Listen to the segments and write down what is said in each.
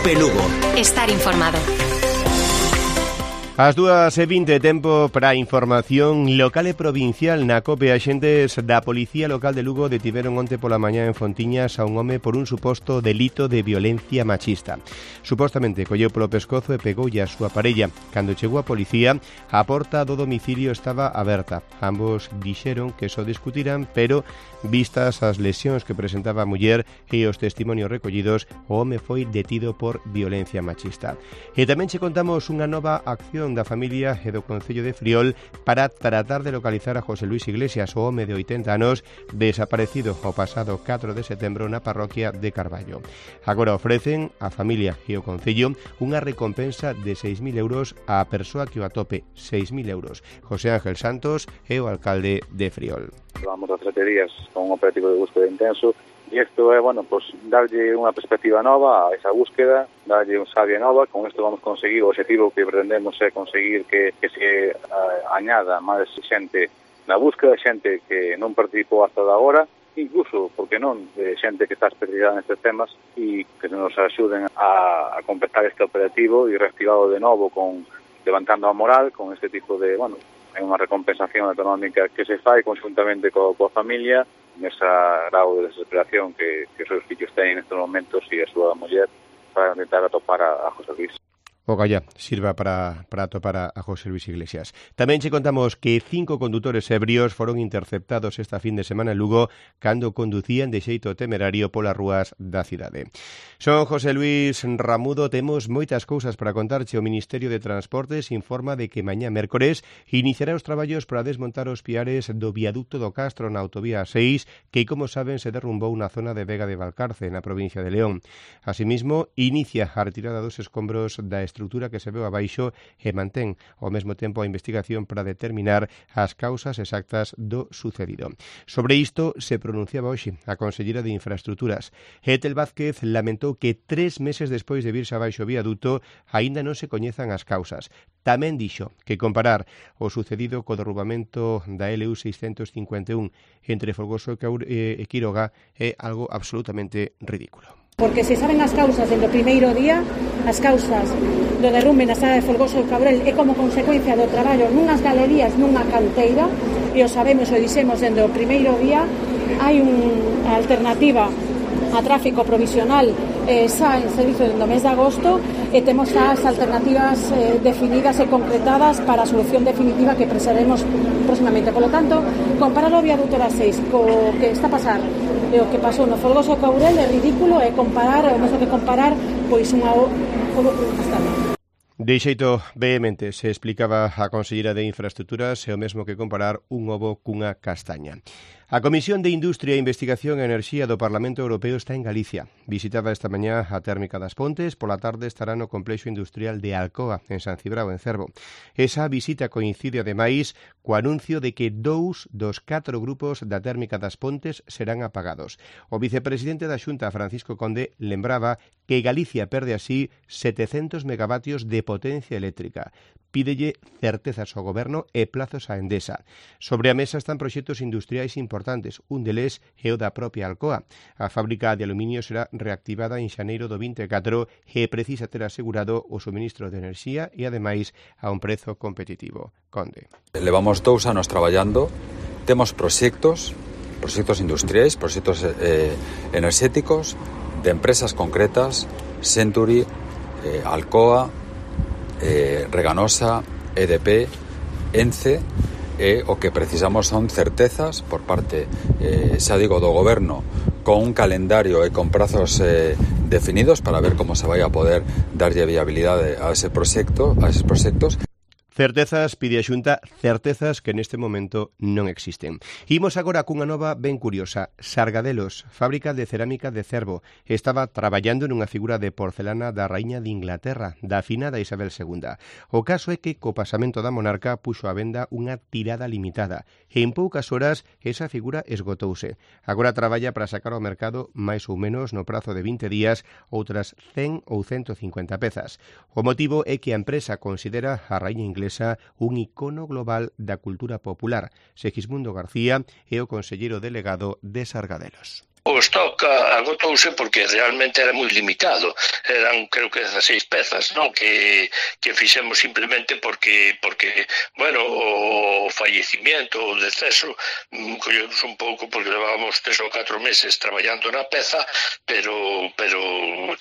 Cope Lugo. Estar informado. As 2:20, tempo para a información local e provincial na COPE. Axentes da Policía Local de Lugo detiveron onte pola mañá en Fontiñas a un home por un suposto delito de violencia machista. Supostamente colleu polo pescozo e pegoulle a súa parella. Cando chegou a policía, a porta do domicilio estaba aberta. Ambos dixeron que só discutirán, pero vistas as lesións que presentaba a muller e os testimonios recollidos, o home foi detido por violencia machista. E tamén che contamos unha nova acción da familia e do Concello de Friol para tratar de localizar a José Luis Iglesias, o home de 80 anos desaparecido o pasado 4 de setembro na parroquia de Carballo. Agora ofrecen a familia e o Concello unha recompensa de 6.000 euros á persoa que o atope. 6.000 euros. José Ángel Santos é o alcalde de Friol. Vamos a 3 días con un operativo de búsqueda intenso. E isto é, darlle unha perspectiva nova a esa búsqueda, darlle un sabia nova. Con isto vamos conseguir o objetivo que pretendemos é conseguir que se añada máis xente na búsqueda, xente que non participou hasta de agora, incluso, porque non, xente que está especializada nestes temas e que nos axuden a completar este operativo e reactivado de novo levantando a moral con este tipo de, é unha recompensación económica que se fai conjuntamente coa familia nesa grau de desesperación que os seus fillos teñen nestes momentos e a súa muller para intentar atopar a José Luis. O galla sirva para atopar a José Luis Iglesias. Tamén che contamos que 5 condutores ebrios foron interceptados esta fin de semana en Lugo cando conducían de xeito temerario polas rúas da cidade. Son José Luis Ramudo, temos moitas cousas para contarche. O Ministerio de Transportes informa de que mañá mércores iniciará os traballos para desmontar os piares do viaducto do Castro na autovía 6, que, como saben, se derrumbou na zona de Vega de Valcarce, na provincia de León. Asimismo, inicia a retirada dos escombros da estrutura que se veu abaixo e mantén ao mesmo tempo a investigación para determinar as causas exactas do sucedido. Sobre isto se pronunciaba hoxe a conselleira de Infraestructuras. Ethel Vázquez lamentou que 3 meses despois de virse abaixo o viaduto aínda non se coñezan as causas. Tamén dixo que comparar o sucedido co derrubamento da LU 651 entre Folgoso e Quiroga é algo absolutamente ridículo. Porque se saben as causas dende o primeiro día, as causas do derrumbe na estrada de Folgoso e Cabrel é como consecuencia do traballo nunhas galerías, nunha canteira, e o sabemos e o dixemos dende o primeiro día. Hai unha alternativa a tráfico provisional xa en servizo dende o mes de agosto e temos as alternativas definidas e concretadas para a solución definitiva que preseremos próximamente. Por lo tanto, comparar o viaduto da 6 co que está a pasar e o que pasou no Folgoso e Cabrel é ridículo, é comparar, o mesmo que comparar pois unha ovo con castaña. De xeito vehemente se explicaba a conselleira de Infraestructuras e o mesmo que comparar un ovo cunha castaña. A Comisión de Industria, Investigación e Enerxía do Parlamento Europeo está en Galicia. Visitaba esta mañá a térmica das Pontes, pola tarde estará no complexo industrial de Alcoa, en San Cibrao, en Cervo. Esa visita coincide ademais co anuncio de que 2 dos 4 grupos da térmica das Pontes serán apagados. O vicepresidente da Xunta, Francisco Conde, lembraba que Galicia perde así 700 megavatios de potencia eléctrica. Pídelle certezas ao Goberno e plazos á Endesa. Sobre a mesa están proxectos industriais importantes. Un deles é o da propia Alcoa. A fábrica de aluminio será reactivada en xaneiro do 24 e precisa ter asegurado o suministro de enerxía e, ademais, a un prezo competitivo. Conde. Levamos 2 anos traballando. Temos proxectos industriais, proxectos enerxéticos de empresas concretas, Century, Alcoa, Reganosa, EDP, ENCE, e o que precisamos son certezas por parte, do Goberno, con un calendario e con prazos definidos para ver como se vai a poder darlle viabilidade a eses proxectos. Certezas, pide a Xunta, certezas que neste momento non existen. Imos agora cunha nova ben curiosa. Sargadelos, fábrica de cerámica de Cervo, estaba traballando nunha figura de porcelana da raíña de Inglaterra, da afinada Isabel II. O caso é que co pasamento da monarca puxo á venda unha tirada limitada e en poucas horas esa figura esgotouse. Agora traballa para sacar ao mercado máis ou menos no prazo de 20 días outras 100 ou 150 pezas. O motivo é que a empresa considera a raíña inglesa un icono global da cultura popular. Segismundo García é o conselleiro delegado de Sargadelos. O stock agotouse porque realmente era moi limitado. Eran, creo que 16 pezas, non? Que fixemos simplemente porque bueno, o fallecimiento, o deceso, collemos un pouco porque levábamos 3 ou 4 meses traballando na peza, pero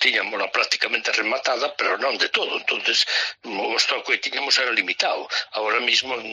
tiñamos prácticamente rematada, pero non de todo. Entonces, o stock que tiñamos era limitado. Ahora mismo, en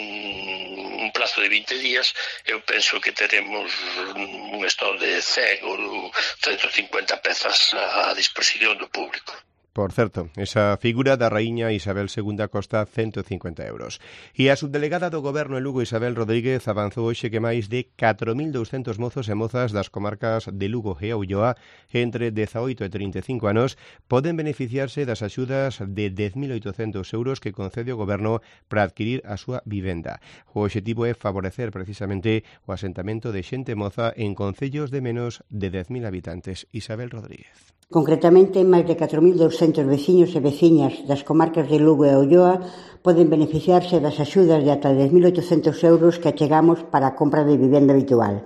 un plazo de 20 días, eu penso que teremos un stock de 100 ou 150 pezas a disposición do público. Por certo, esa figura da raíña Isabel II costa 150 euros. E a subdelegada do Goberno en Lugo, Isabel Rodríguez, avanzou hoxe que máis de 4.200 mozos e mozas das comarcas de Lugo e Ulloa entre 18 e 35 anos poden beneficiarse das axudas de 10.800 euros que concede o Goberno para adquirir a súa vivenda. O obxectivo é favorecer precisamente o asentamento de xente moza en concellos de menos de 10.000 habitantes. Isabel Rodríguez. Concretamente, máis de 4.200 veciños e veciñas das comarcas de Lugo e Ulloa poden beneficiarse das axudas de ata 10.800 euros que achegamos para a compra de vivenda habitual.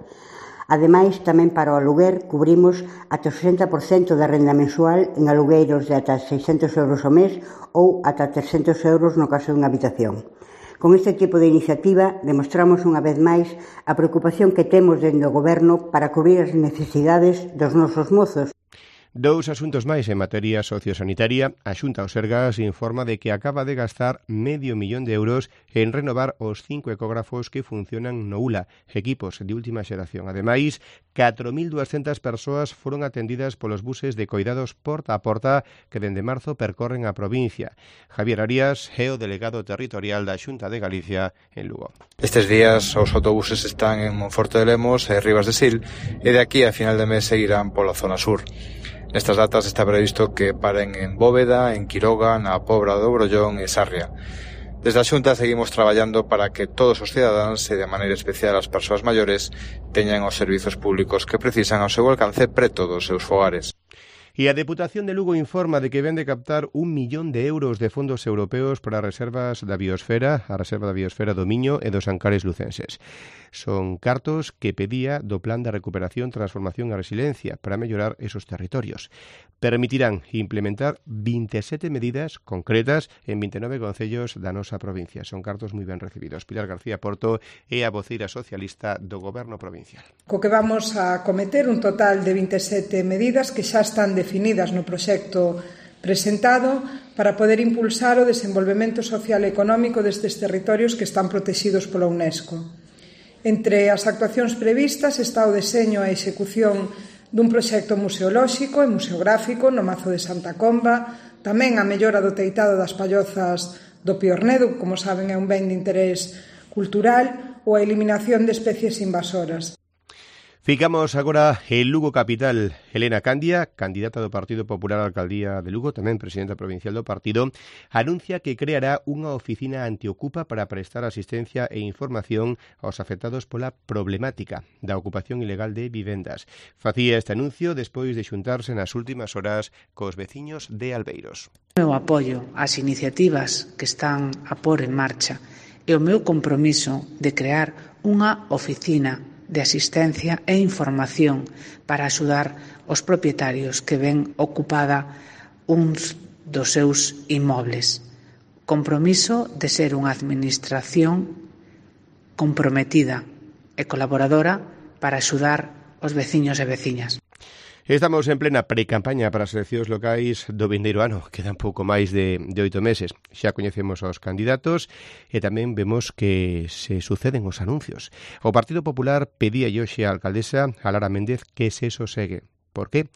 Ademais, tamén para o aluguer, cubrimos ata o 60% da renda mensual en alugueiros de ata 600 euros ao mes ou ata 300 euros no caso dunha habitación. Con este tipo de iniciativa, demostramos unha vez máis a preocupación que temos dende o Goberno para cubrir as necesidades dos nosos mozos. Dous asuntos máis en materia sociosanitaria. A Xunta do Sergas informa de que acaba de gastar $500.000 en renovar os 5 ecógrafos que funcionan no ULA, equipos de última xeración. Ademais, 4.200 persoas foron atendidas polos buses de coidados porta a porta que dende marzo percorren a provincia. Javier Arias é o delegado territorial da Xunta de Galicia en Lugo. Estes días os autobuses están en Monforte de Lemos e Rivas de Sil e de aquí a final de mes seguirán pola zona sur. Nestas datas está previsto que paren en Bóveda, en Quiroga, na Pobra do Brollón e Sarria. Desde a Xunta seguimos traballando para que todos os cidadáns e de maneira especial as persoas maiores teñan os servizos públicos que precisan ao seu alcance preto dos seus fogares. E a Deputación de Lugo informa de que ven de captar 1 millón de euros de fondos europeos para reservas da biosfera, a reserva da biosfera do Miño e dos Ancares lucenses. Son cartos que pedía do Plan de Recuperación, Transformación e Resiliencia para mellorar esos territorios. Permitirán implementar 27 medidas concretas en 29 concellos da nosa provincia. Son cartos moi ben recibidos. Pilar García Porto é a voceira socialista do Goberno provincial. Co que vamos a cometer un total de 27 medidas que xa están definidas no proxecto presentado para poder impulsar o desenvolvemento social e económico destes territorios que están protegidos pola UNESCO. Entre as actuacións previstas está o deseño e a execución dun proxecto museolóxico e museográfico no Mazo de Santa Comba, tamén a mellora do teitado das pallozas do Piornedo, como saben é un ben de interés cultural, ou a eliminación de especies invasoras. Ficamos agora en Lugo capital. Elena Candia, candidata do Partido Popular á Alcaldía de Lugo, tamén presidenta provincial do partido, anuncia que creará unha oficina antiocupa para prestar asistencia e información aos afectados pola problemática da ocupación ilegal de vivendas. Facía este anuncio despois de xuntarse nas últimas horas cos veciños de Albeiros. O meu apoio ás iniciativas que están a pôr en marcha e o meu compromiso de crear unha oficina de asistencia e información para axudar os propietarios que ven ocupada uns dos seus inmobles. Compromiso de ser unha administración comprometida e colaboradora para axudar os veciños e veciñas. Estamos en plena pre-campaña para as eleccións locais do vindeiro ano. Quedan pouco máis de 8 meses. Xa coñecemos os candidatos e tamén vemos que se suceden os anuncios. O Partido Popular pedía hoxe á alcaldesa, a Lara Méndez, que se sosegue. Por qué?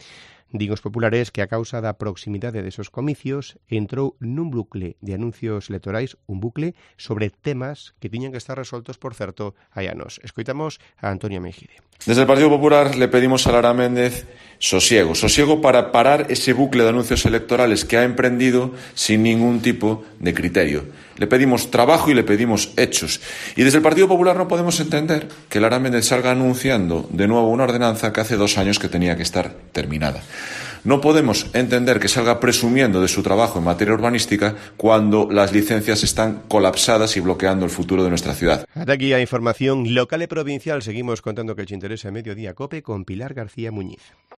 Din os populares que a causa da proximidade desos comicios entrou nun bucle de anuncios electorais, un bucle sobre temas que tiñan que estar resoltos, por certo, hai anos. Escoitamos a Antonio Mejide. Desde el Partido Popular le pedimos a Lara Méndez Sosiego para parar ese bucle de anuncios electorales que ha emprendido sin ningún tipo de criterio. Le pedimos trabajo y le pedimos hechos. Y desde el Partido Popular no podemos entender que Lara Méndez salga anunciando de nuevo una ordenanza que hace 2 años que tenía que estar terminada. No podemos entender que salga presumiendo de su trabajo en materia urbanística cuando las licencias están colapsadas y bloqueando el futuro de nuestra ciudad. Hasta aquí a información local y provincial. Seguimos contando que te interesa Mediodía COPE con Pilar García Muñiz.